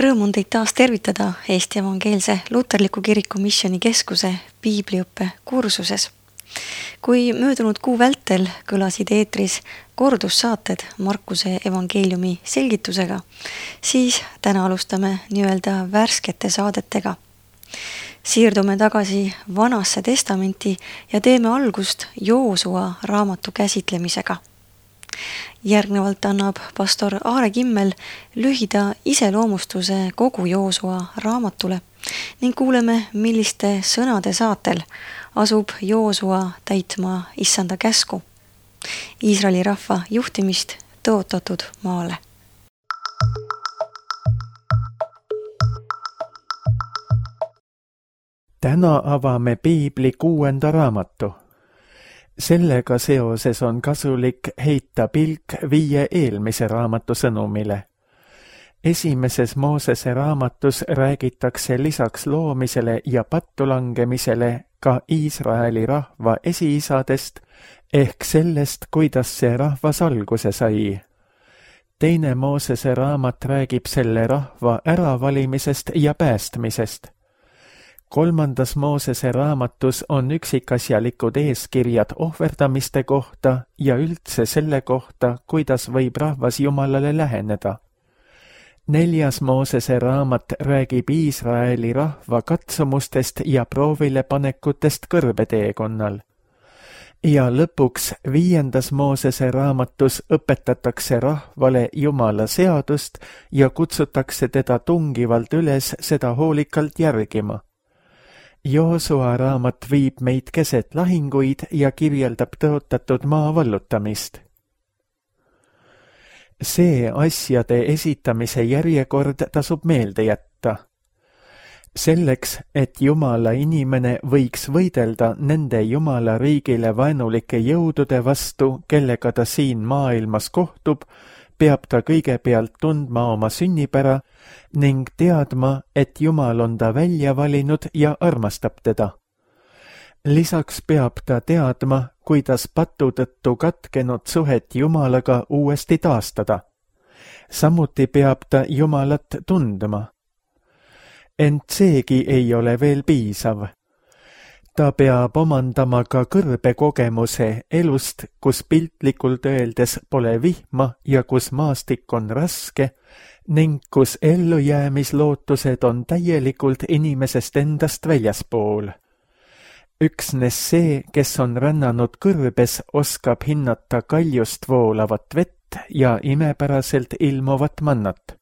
Rõõm on teid taas tervitada Eesti Evangeelse Luterliku Kiriku Missioni Keskuse piibliõppe kursuses. Kui möödunud kuu vältel kõlasid eetris kordussaated Markuse evangeeliumi selgitusega, siis täna alustame nii-öelda värskete saadetega. Siirdume tagasi Vanasse testamenti ja teeme algust Joosua raamatu käsitlemisega. Järgnevalt annab pastor Aare Kimmel lühida iseloomustuse kogu Joosua raamatule ning kuuleme, milliste sõnade saatel asub Joosua täitma issanda käsku. Iisraeli rahva juhtimist tõotatud maale. Täna avame piibli 6. raamatu. Sellega seoses on kasulik heita pilk 5 eelmise raamatu sõnumile. Esimeses Moosese raamatus räägitakse lisaks loomisele ja pattulangemisele ka Iisraeli rahva esiisadest ehk sellest, kuidas see rahvas alguse sai. Teine Moosese raamat räägib selle rahva äravalimisest ja päästmisest. 3. Moosese raamatus on üksikasjalikud eeskirjad ohverdamiste kohta ja üldse selle kohta, kuidas võib rahvas Jumalale läheneda. 4. Moosese raamat räägib Iisraeli rahva katsumustest ja proovilepanekutest kõrbeteekonnal. Ja lõpuks 5. Moosese raamatus õpetatakse rahvale Jumala seadust ja kutsutakse teda tungivalt üles seda hoolikalt järgima. Joosua raamat viib meid keset lahinguid ja kirjeldab tõotatud maa vallutamist. See asjade esitamise järjekord tasub meelde jätta. Selleks, et Jumala inimene võiks võidelda nende Jumala riigile vaenulike jõudude vastu, kellega ta siin maailmas kohtub, peab ta kõigepealt tundma oma sünnipära ning teadma, et Jumal on ta välja valinud ja armastab teda. Lisaks peab ta teadma, kuidas patu tõttu katkenud suhet Jumalaga uuesti taastada. Samuti peab ta Jumalat tundma. Ent seegi ei ole veel piisav. Ta peab omandama ka kõrbekogemuse elust, kus piltlikult öeldes pole vihma ja kus maastik on raske ning kus ellujäämislootused on täielikult inimesest endast väljaspool. Üksnes see, kes on rännanud kõrbes, oskab hinnata kaljust voolavat vett ja imepäraselt ilmuvat mannat.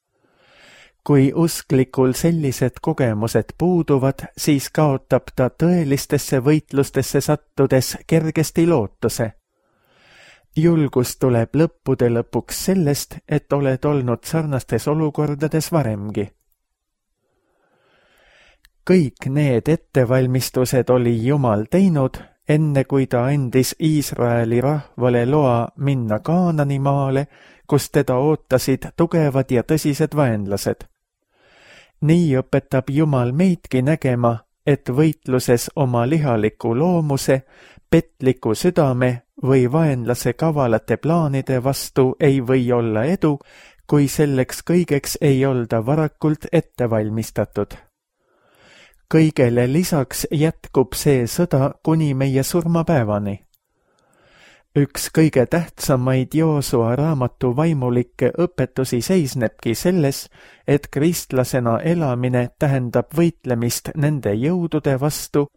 Kui usklikul sellised kogemused puuduvad, siis kaotab ta tõelistesse võitlustesse sattudes kergesti lootuse. Julgus tuleb lõppude lõpuks sellest, et oled olnud sarnastes olukordades varemgi. Kõik need ettevalmistused oli Jumal teinud, enne kui ta andis Iisraeli rahvale loa minna Kaanani maale, kus teda ootasid tugevad ja tõsised vaenlased. Nii õpetab Jumal meidki nägema, et võitluses oma lihaliku loomuse, petliku südame või vaenlase kavalate plaanide vastu ei või olla edu, kui selleks kõigeks ei olda varakult ette valmistatud. Kõigele lisaks jätkub see sõda kuni meie surmapäevani. Üks kõige tähtsamaid Joosua raamatu vaimulikke õpetusi seisnebki selles, et kristlasena elamine tähendab võitlemist nende jõudude vastu,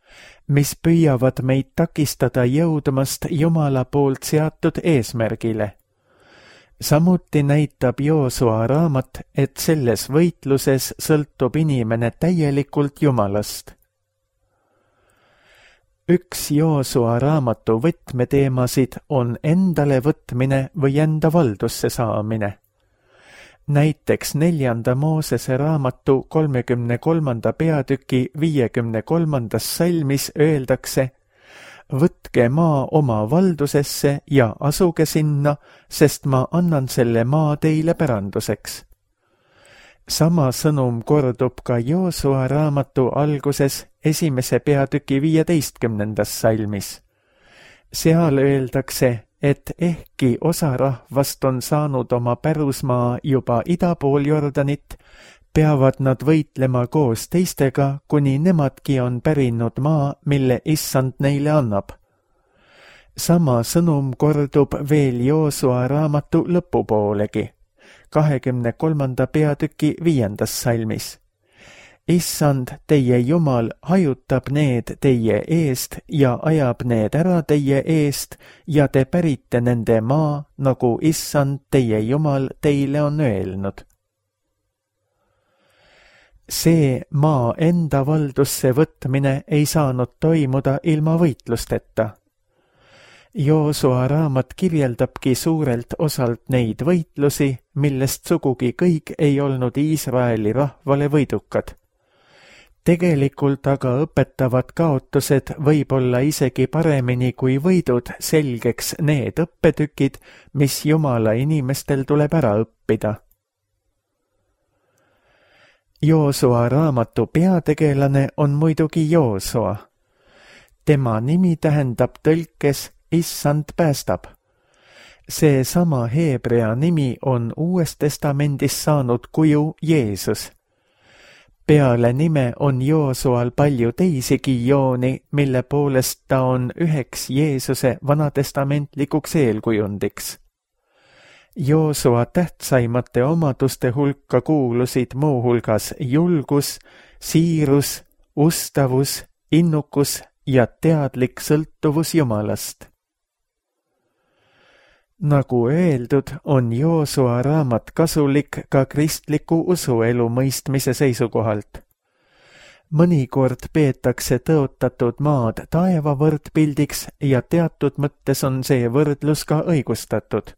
mis püüavad meid takistada jõudmast Jumala poolt seatud eesmärgile. Samuti näitab Joosua raamat, et selles võitluses sõltub inimene täielikult Jumalast. Üks Joosua raamatu võtmeteemasid on endale võtmine või enda valdusse saamine. Näiteks 4. Moosese raamatu 33. peatüki 53. salmis öeldakse: võtke maa oma valdusesse ja asuge sinna, sest ma annan selle maa teile päranduseks. Sama sõnum kordub ka Joosua raamatu alguses 1. peatüki 15. salmis. Seal öeldakse, et ehkki osa rahvast on saanud oma pärusmaa juba ida pool Jordanit, peavad nad võitlema koos teistega, kuni nemadki on pärinud maa, mille issand neile annab. Sama sõnum kordub veel Joosua raamatu lõpupoolegi, 23. peatüki 5. salmis. Issand, teie Jumal, hajutab need teie eest ja ajab need ära teie eest ja te pärite nende maa, nagu Issand, teie Jumal, teile on öelnud. See maa enda valdusse võtmine ei saanud toimuda ilma võitlusteta. Joosua raamat kirjeldabki suurelt osalt neid võitlusi, millest sugugi kõik ei olnud Iisraeli rahvale võidukad. Tegelikult aga õpetavad kaotused võib-olla isegi paremini kui võidud selgeks need õppetükid, mis Jumala inimestel tuleb ära õppida. Joosua raamatu peategelane on muidugi Joosua. Tema nimi tähendab tõlkes Issand päästab. Seesama heebrea nimi on Uues Testamendis saanud kuju Jeesus. Peale nime on Joosual palju teisigi jooni, mille poolest ta on üheks Jeesuse vanatestamentlikuks eelkujundiks. Joosua tähtsaimate omaduste hulka kuulusid muuhulgas julgus, siirus, ustavus, innukus ja teadlik sõltuvus Jumalast. Nagu öeldud, on Joosua raamat kasulik ka kristliku usuelu mõistmise seisukohalt. Mõnikord peetakse tõotatud maad taeva võrdpildiks ja teatud mõttes on see võrdlus ka õigustatud.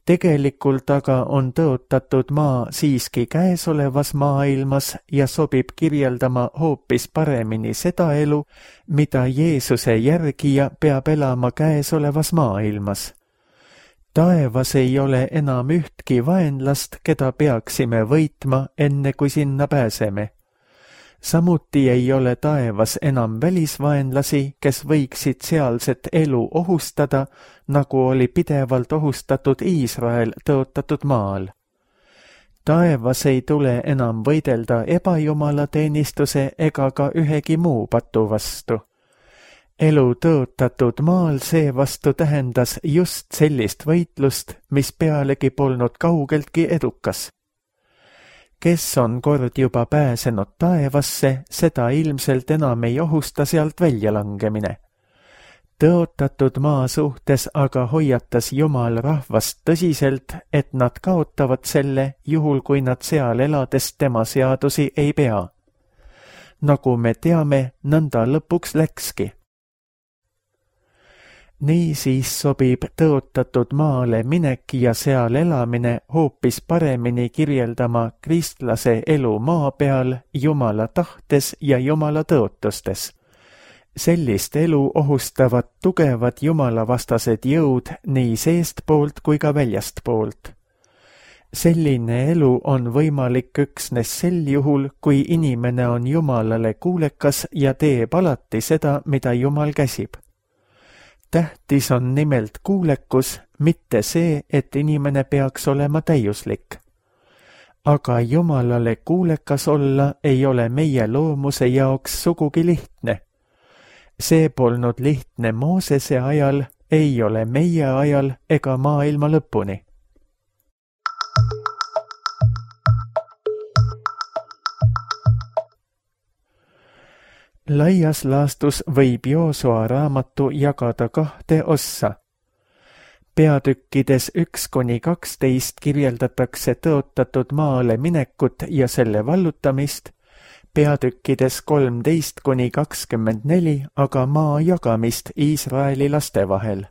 Tegelikult aga on tõotatud maa siiski käesolevas maailmas ja sobib kirjeldama hoopis paremini seda elu, mida Jeesuse järgija peab elama käesolevas maailmas. Taevas ei ole enam ühtki vaenlast, keda peaksime võitma, enne kui sinna pääseme. Samuti ei ole taevas enam välisvaenlasi, kes võiksid sealset elu ohustada, nagu oli pidevalt ohustatud Iisrael tõotatud maal. Taevas ei tule enam võidelda ebajumalateenistuse ega ka ühegi muu patu vastu. Elu tõotatud maal seevastu tähendas just sellist võitlust, mis pealegi polnud kaugeltki edukas. Kes on kord juba pääsenud taevasse, seda ilmselt enam ei ohusta sealt väljalangemine. Tõotatud maa suhtes aga hoiatas Jumal rahvast tõsiselt, et nad kaotavad selle, juhul kui nad seal elades tema seadusi ei pea. Nagu me teame, nõnda lõpuks läkski. Niisiis sobib tõotatud maale minek ja seal elamine hoopis paremini kirjeldama kristlase elu maa peal Jumala tahtes ja Jumala tõotustes. Sellist elu ohustavad tugevad jumalavastased jõud nii seestpoolt kui ka väljastpoolt. Selline elu on võimalik üksnes sel juhul, kui inimene on Jumalale kuulekas ja teeb alati seda, mida Jumal käsib. Tähtis on nimelt kuulekus, mitte see, et inimene peaks olema täiuslik. Aga Jumalale kuulekas olla ei ole meie loomuse jaoks sugugi lihtne. See polnud lihtne Moosese ajal, ei ole meie ajal ega maailma lõpuni. Laias laastus võib Joosua raamatu jagada 2 ossa. Peatükkides 1-12 kirjeldatakse tõotatud maale minekut ja selle vallutamist, peatükkides 13-24 aga maa jagamist Iisraeli laste vahel.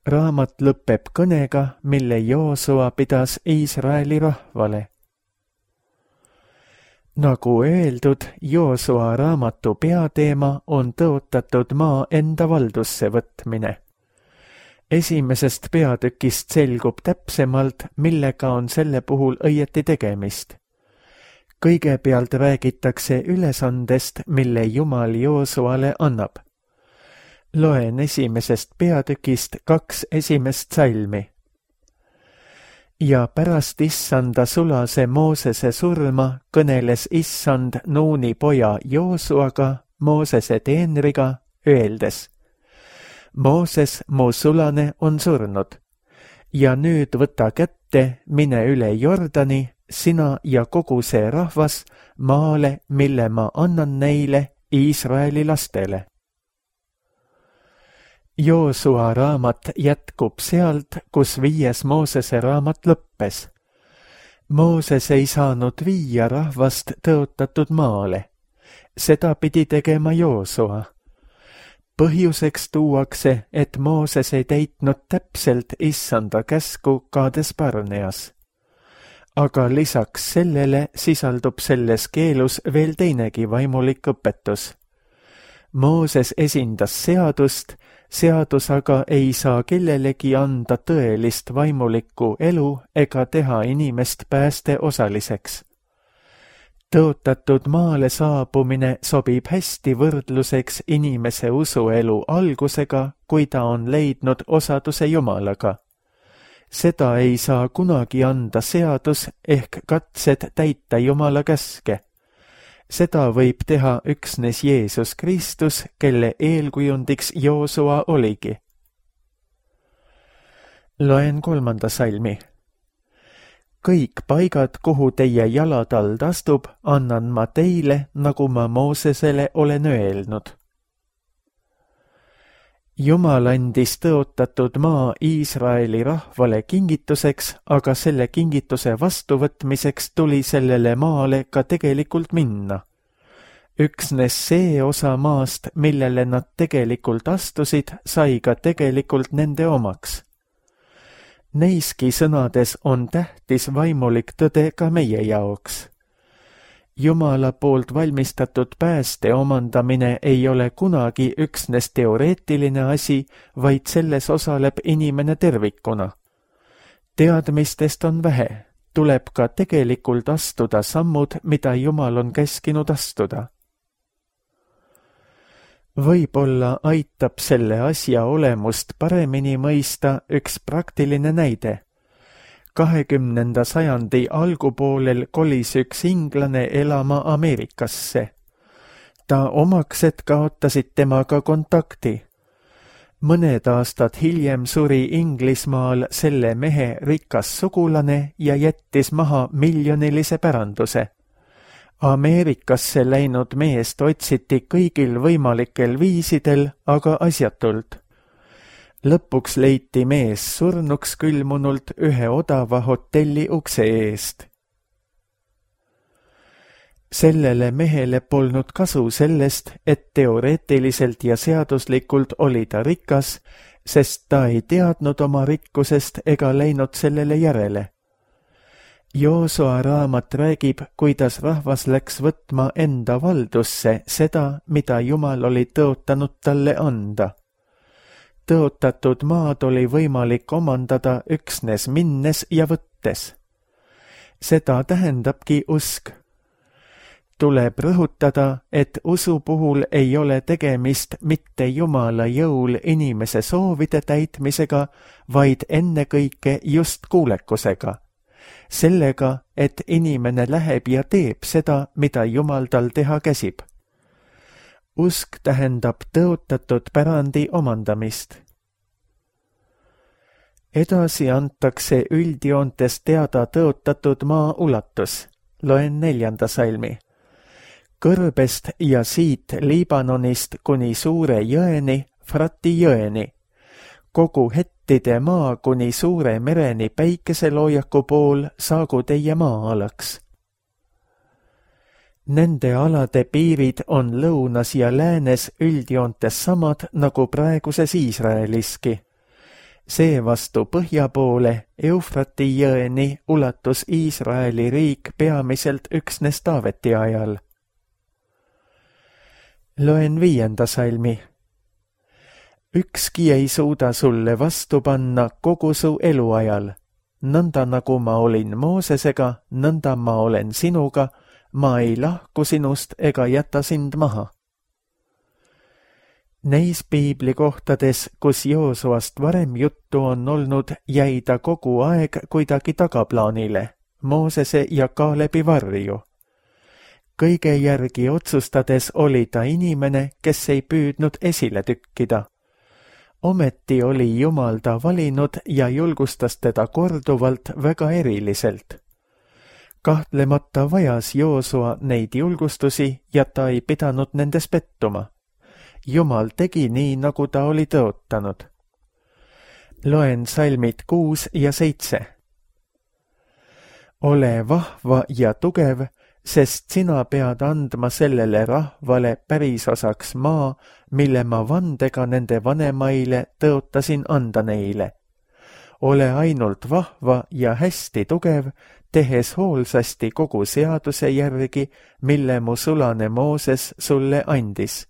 Raamat lõpeb kõnega, mille Joosua pidas Iisraeli rahvale. Nagu öeldud, Joosua raamatu peateema on tõotatud maa enda valdusse võtmine. Esimesest peatükist selgub täpsemalt, millega on selle puhul õieti tegemist. Kõigepealt räägitakse ülesandest, mille Jumal Joosuale annab. Loen esimesest peatükist 2 esimest salmi. Ja pärast issanda sulase Moosese surma kõneles issand Nuuni poja Joosuaga, Moosese teenriga, öeldes: Mooses, mu sulane, on surnud ja nüüd võta kätte, mine üle Jordani, sina ja kogu see rahvas, maale, mille ma annan neile, Iisraeli lastele. Joosua raamat jätkub sealt, kus 5. Moosese raamat lõppes. Mooses ei saanud viia rahvast tõotatud maale. Seda pidi tegema Joosua. Põhjuseks tuuakse, et Mooses ei täitnud täpselt issanda käsku Kaades Barneas. Aga lisaks sellele sisaldub selles keelus veel teinegi vaimulik õpetus. Mooses esindas seadust, seadus aga ei saa kellelegi anda tõelist vaimulikku elu ega teha inimest päästeosaliseks. Tõotatud maale saabumine sobib hästi võrdluseks inimese usuelu algusega, kui ta on leidnud osaduse Jumalaga. Seda ei saa kunagi anda seadus ehk katsed täita Jumala käske. Seda võib teha üksnes Jeesus Kristus, kelle eelkujundiks Joosua oligi. Loen 3. salmi. Kõik paigad, kuhu teie jalatald astub, annan ma teile, nagu ma Moosesele olen öelnud. Jumal andis tõotatud maa Iisraeli rahvale kingituseks, aga selle kingituse vastuvõtmiseks tuli sellele maale ka tegelikult minna. Üksnes see osa maast, millele nad tegelikult astusid, sai ka tegelikult nende omaks. Neiski sõnades on tähtis vaimulik tõde ka meie jaoks. Jumala poolt valmistatud pääste omandamine ei ole kunagi üksnes teoreetiline asi, vaid selles osaleb inimene tervikuna. Teadmistest on vähe, tuleb ka tegelikult astuda sammud, mida Jumal on käskinud astuda. Võib-olla aitab selle asja olemust paremini mõista üks praktiline näide. 20. sajandi algupoolel kolis üks inglane elama Ameerikasse. Ta omaksed kaotasid temaga kontakti. Mõned aastad hiljem suri Inglismaal selle mehe rikas sugulane ja jättis maha miljonilise päranduse. Ameerikasse läinud meest otsiti kõigil võimalikel viisidel, aga asjatult. Lõpuks leiti mees surnuks külmunult ühe odava hotelli ukse eest. Sellele mehele polnud kasu sellest, et teoreetiliselt ja seaduslikult oli ta rikas, sest ta ei teadnud oma rikkusest ega läinud sellele järele. Joosua raamat räägib, kuidas rahvas läks võtma enda valdusse seda, mida Jumal oli tõotanud talle anda. Tõotatud maad oli võimalik omandada üksnes minnes ja võttes. Seda tähendabki usk. Tuleb rõhutada, et usu puhul ei ole tegemist mitte Jumala jõul inimese soovide täitmisega, vaid ennekõike just kuulekusega. Sellega, et inimene läheb ja teeb seda, mida Jumal tal teha käsib. Usk tähendab tõotatud pärandi omandamist. Edasi antakse üldjoontes teada tõotatud maa ulatus. Loen 4. salmi. Kõrbest ja siit Liibanonist kuni suure jõeni, Frati jõeni. Kogu Hettide maa kuni suure mereni päikeseloojaku pool saagu teie maa-alaks. Nende alade piirid on lõunas ja läänes üldjoontes samad nagu praeguses Iisraeliski. Seevastu põhja poole Eufrati jõeni ulatus Iisraeli riik peamiselt üksnes Taaveti ajal. Loen 5. salmi. Ükski ei suuda sulle vastu panna kogu su eluajal. Nõnda nagu ma olin Moosesega, nõnda ma olen sinuga, ma ei lahku sinust ega jäta sind maha. Neis piiblikohtades, kus Joosuast varem juttu on olnud, jäi ta kogu aeg kuidagi tagaplaanile, Moosese ja Kaalebi varju. Kõige järgi otsustades oli ta inimene, kes ei püüdnud esile tükkida. Ometi oli Jumal ta valinud ja julgustas teda korduvalt väga eriliselt. Kahtlemata vajas Joosua neid julgustusi ja ta ei pidanud nendes pettuma. Jumal tegi nii, nagu ta oli tõotanud. Loen salmid 6 ja 7. Ole vahva ja tugev, sest sina pead andma sellele rahvale pärisosaks maa, mille ma vandega nende vanemaile tõotasin anda neile. Ole ainult vahva ja hästi tugev, tehes hoolsasti kogu seaduse järgi, mille mu sulane Mooses sulle andis.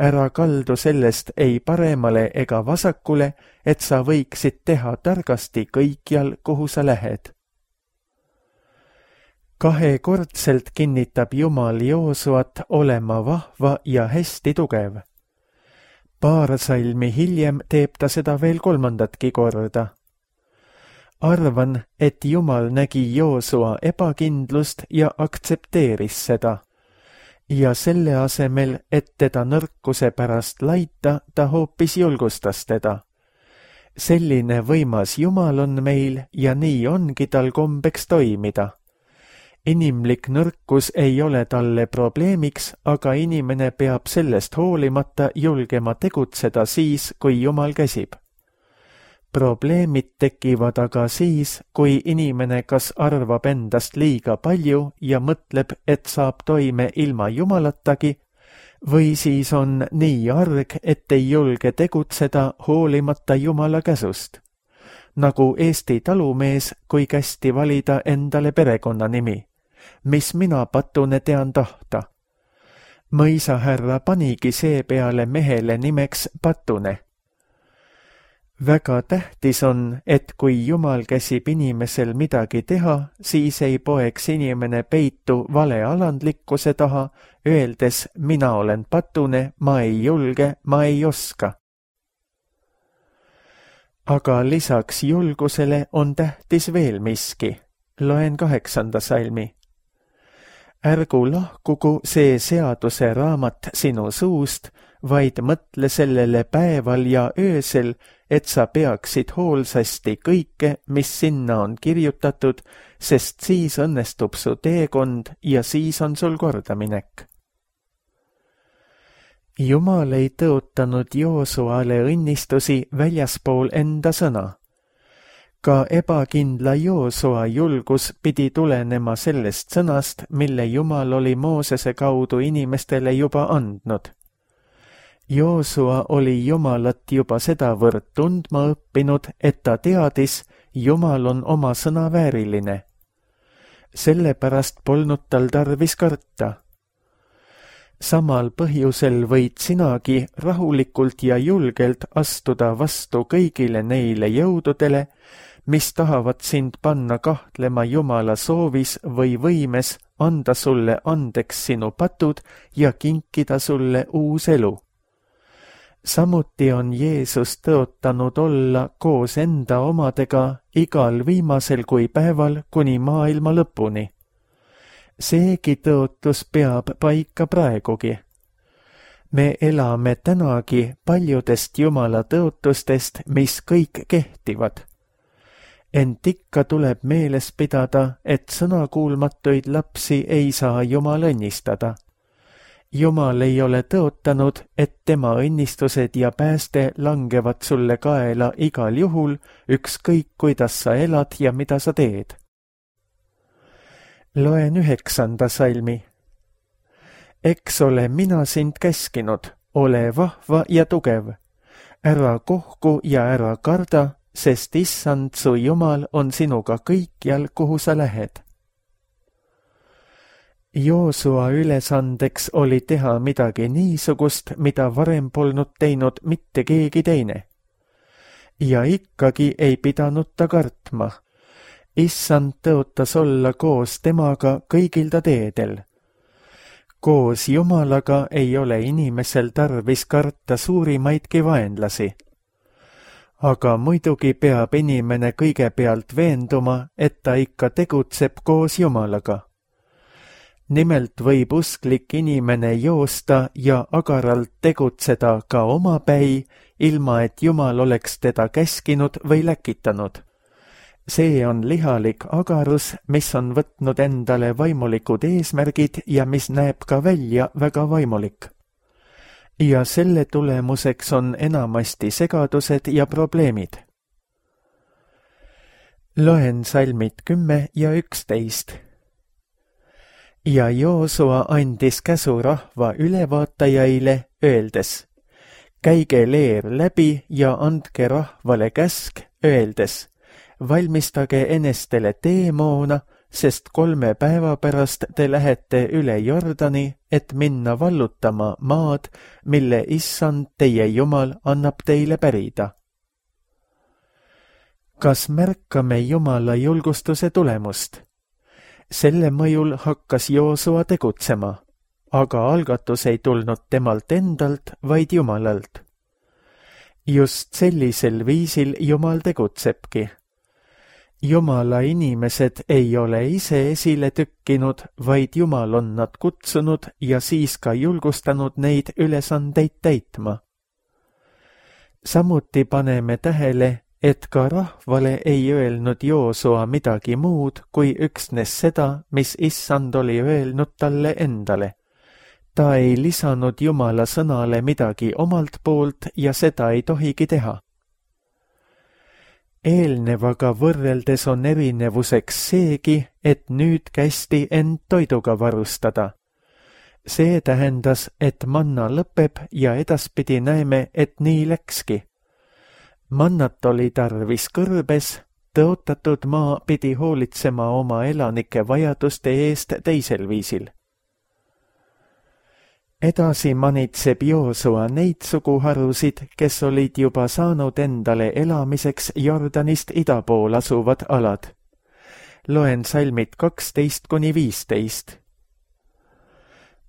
Ära kaldu sellest ei paremale ega vasakule, et sa võiksid teha targasti kõikjal, kuhu sa lähed. Kahekordselt kinnitab Jumal Joosuat olema vahva ja hästi tugev. Paar salmi hiljem teeb ta seda veel 3. korda. Arvan, et Jumal nägi Joosua ebakindlust ja aktsepteeris seda. Ja selle asemel, et teda nõrkuse pärast laita, ta hoopis julgustas teda. Selline võimas Jumal on meil ja nii ongi tal kombeks toimida. Inimlik nõrkus ei ole talle probleemiks, aga inimene peab sellest hoolimata julgema tegutseda siis, kui Jumal käsib. Probleemid tekivad aga siis, kui inimene kas arvab endast liiga palju ja mõtleb, et saab toime ilma Jumalatagi, või siis on nii arg, et ei julge tegutseda hoolimata Jumala käsust. Nagu Eesti talumees, kui kästi valida endale perekonnanimi. Mis mina Patune tean tahta. Mõisahärra panigi seepeale mehele nimeks Patune. Väga tähtis on, et kui Jumal käsib inimesel midagi teha, siis ei poeks inimene peitu vale alandlikkuse taha, öeldes mina olen Patune, ma ei julge, ma ei oska. Aga lisaks julgusele on tähtis veel miski. Loen 8. salmi. Ärgu lahkugu see seaduse raamat sinu suust, vaid mõtle sellele päeval ja öösel, et sa peaksid hoolsasti kõike, mis sinna on kirjutatud, sest siis õnnestub su teekond ja siis on sul kordaminek. Jumal ei tõotanud Joosuale õnnistusi väljaspool enda sõna. Ka ebakindla Joosua julgus pidi tulenema sellest sõnast, mille Jumal oli Moosese kaudu inimestele juba andnud. Joosua oli Jumalat juba sedavõrd tundma õppinud, et ta teadis, Jumal on oma sõna vääriline. Sellepärast polnud tal tarvis karta. Samal põhjusel võid sinagi rahulikult ja julgelt astuda vastu kõigile neile jõududele, mis tahavad sind panna kahtlema Jumala soovis või võimes anda sulle andeks sinu patud ja kinkida sulle uus elu. Samuti on Jeesus tõotanud olla koos enda omadega igal viimasel kui päeval kuni maailma lõpuni. Seegi tõotus peab paika praegugi. Me elame tänagi paljudest Jumala tõotustest, mis kõik kehtivad. Ent ikka tuleb meeles pidada, et sõnakuulmatuid lapsi ei saa Jumal õnnistada. Jumal ei ole tõotanud, et tema õnnistused ja pääste langevad sulle kaela igal juhul, ükskõik kuidas sa elad ja mida sa teed. Loen 9. salmi. Eks ole mina sind käskinud, ole vahva ja tugev. Ära kohku ja ära karda, sest Issand su Jumal on sinuga kõikjal, kuhu sa lähed. Joosua ülesandeks oli teha midagi niisugust, mida varem polnud teinud mitte keegi teine. Ja ikkagi ei pidanud ta kartma. Issand tõotas olla koos temaga kõigil ta teedel. Koos Jumalaga ei ole inimesel tarvis karta suurimaidki vaenlasi. Aga muidugi peab inimene kõigepealt veenduma, et ta ikka tegutseb koos Jumalaga. Nimelt võib usklik inimene joosta ja agaralt tegutseda ka omapäi, ilma et Jumal oleks teda käskinud või läkitanud. See on lihalik agarus, mis on võtnud endale vaimulikud eesmärgid ja mis näeb ka välja väga vaimulik. Ja selle tulemuseks on enamasti segadused ja probleemid. Loen salmid 10 ja 11. Ja Joosua andis käsu rahva ülevaatajaile, öeldes: käige leer läbi ja andke rahvale käsk, öeldes: valmistage enestele teemoona, sest 3 päeva pärast te lähete üle Jordani, et minna vallutama maad, mille Issand teie Jumal annab teile pärida. Kas märkame Jumala julgustuse tulemust? Selle mõjul hakkas Joosua tegutsema, aga algatus ei tulnud temalt endalt, vaid Jumalalt. Just sellisel viisil Jumal tegutsebki. Jumala inimesed ei ole ise esile tükkinud, vaid Jumal on nad kutsunud ja siis ka julgustanud neid ülesandeid täitma. Samuti paneme tähele, et ka rahvale ei öelnud Joosua midagi muud kui üksnes seda, mis Issand oli öelnud talle endale. Ta ei lisanud Jumala sõnale midagi omalt poolt ja seda ei tohigi teha. Eelnevaga võrreldes on erinevuseks seegi, et nüüd kästi end toiduga varustada. See tähendas, et manna lõpeb ja edaspidi näeme, et nii läkski. Mannat oli tarvis kõrbes, tõotatud maa pidi hoolitsema oma elanike vajaduste eest teisel viisil. Edasi manitseb Joosua neid suguharusid, kes olid juba saanud endale elamiseks Jordanist ida pool asuvad alad. Loen salmid 12-15.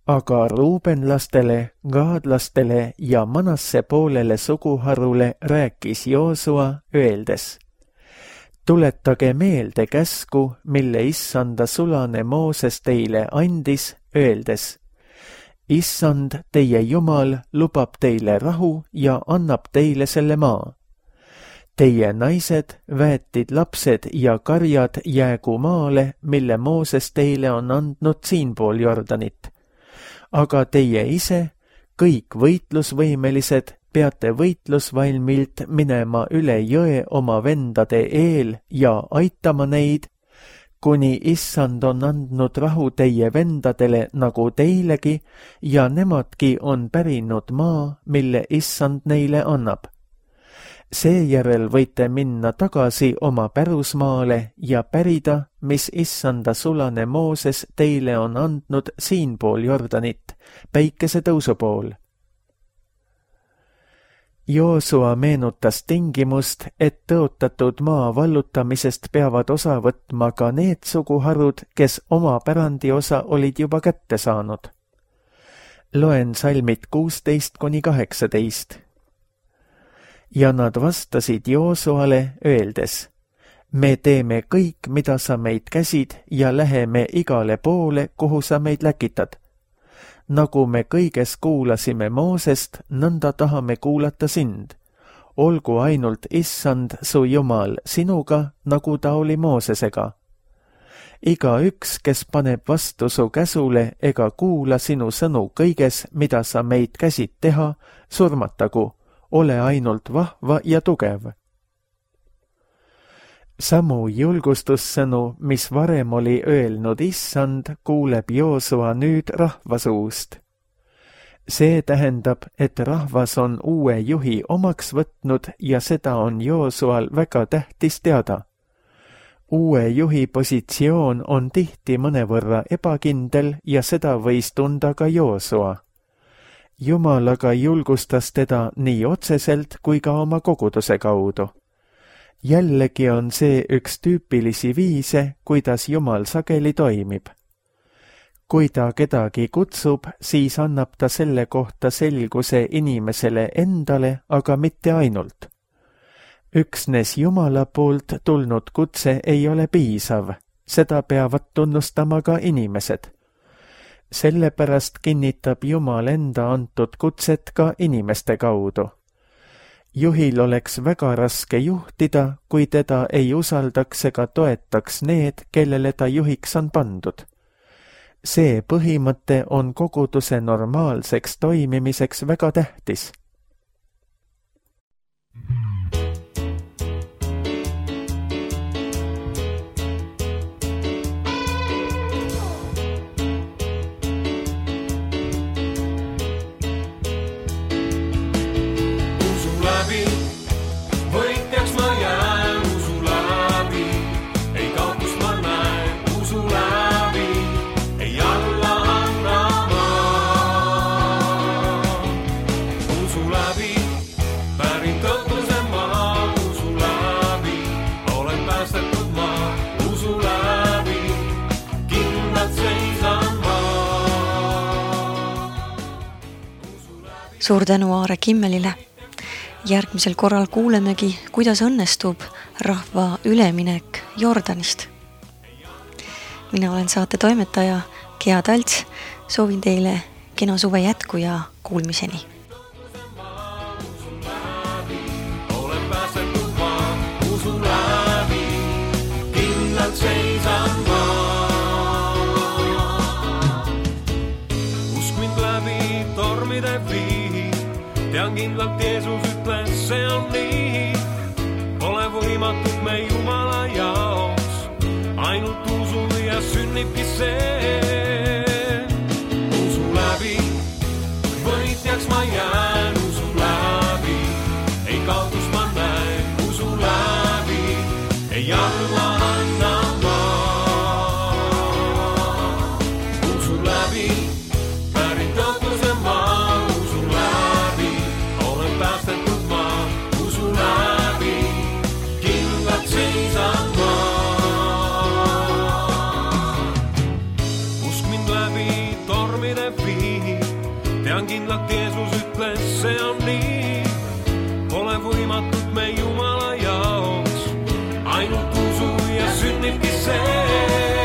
Aga ruubenlastele, gaadlastele ja Manasse poolele suguharule rääkis Joosua, öeldes: tuletage meelde käsku, mille Issanda sulane Mooses teile andis, öeldes: Issand, teie Jumal, lubab teile rahu ja annab teile selle maa. Teie naised, väetid lapsed ja karjad jäägu maale, mille Mooses teile on andnud siinpool Jordanit. Aga teie ise, kõik võitlusvõimelised, peate võitlusvalmilt minema üle jõe oma vendade eel ja aitama neid, kuni Issand on andnud rahu teie vendadele nagu teilegi ja nemadki on pärinud maa, mille Issand neile annab. Seejärel võite minna tagasi oma pärusmaale ja pärida, mis Issanda sulane Mooses teile on andnud siinpool Jordanit, päikesetõusu pool. Joosua meenutas tingimust, et tõotatud maa vallutamisest peavad osa võtma ka need suguharud, kes oma pärandiosa olid juba kätte saanud. Loen salmid 16-18. Ja nad vastasid Joosuale, öeldes: me teeme kõik, mida sa meid käsid ja läheme igale poole, kuhu sa meid läkitad. Nagu me kõiges kuulasime Moosest, nõnda tahame kuulata sind. Olgu ainult Issand, su Jumal, sinuga, nagu ta oli Moosesega. Igaüks, kes paneb vastu su käsule ega kuula sinu sõnu kõiges, mida sa meid käsid teha, surmatagu, ole ainult vahva ja tugev. Samu julgustussõnu, mis varem oli öelnud Issand, kuuleb Joosua nüüd rahva suust. See tähendab, et rahvas on uue juhi omaks võtnud ja seda on Joosual väga tähtis teada. Uue juhi positsioon on tihti mõnevõrra ebakindel ja seda võis tunda ka Joosua. Jumal aga julgustas teda nii otseselt kui ka oma koguduse kaudu. Jällegi on see üks tüüpilisi viise, kuidas Jumal sageli toimib. Kui ta kedagi kutsub, siis annab ta selle kohta selguse inimesele endale, aga mitte ainult. Üksnes Jumala poolt tulnud kutse ei ole piisav, seda peavad tunnustama ka inimesed. Sellepärast kinnitab Jumal enda antud kutset ka inimeste kaudu. Juhil oleks väga raske juhtida, kui teda ei usaldaks ega toetaks need, kellele ta juhiks on pandud. See põhimõte on koguduse normaalseks toimimiseks väga tähtis. Suur tänu Aare Kimmelile. Järgmisel korral kuulemegi, kuidas õnnestub rahva üleminek Jordanist. Mina olen saate toimetaja Gea Talts. Soovin teile kena suve jätku ja kuulmiseni. Usk mind läbi tormide vii. Tean kindlalt Jeesus ütles, see on nii. Pole võimatut me Jumala jaoks. Ainult usu ja sünnibki see. Usu läbi võitjaks ma jään. Usu läbi ei kaotus ma näen. Usu läbi ei alla anna ma. Usu läbi pärit tõotluse maa. Usu läbi olen päästetud ma. Usu läbi kindlalt seisan ma. Usk mind läbi tormide vii. Tean kindlalt Jeesus ütles, see on nii. Pole võimatut me Jumala jaoks. Ainult usu ja sünnibki see.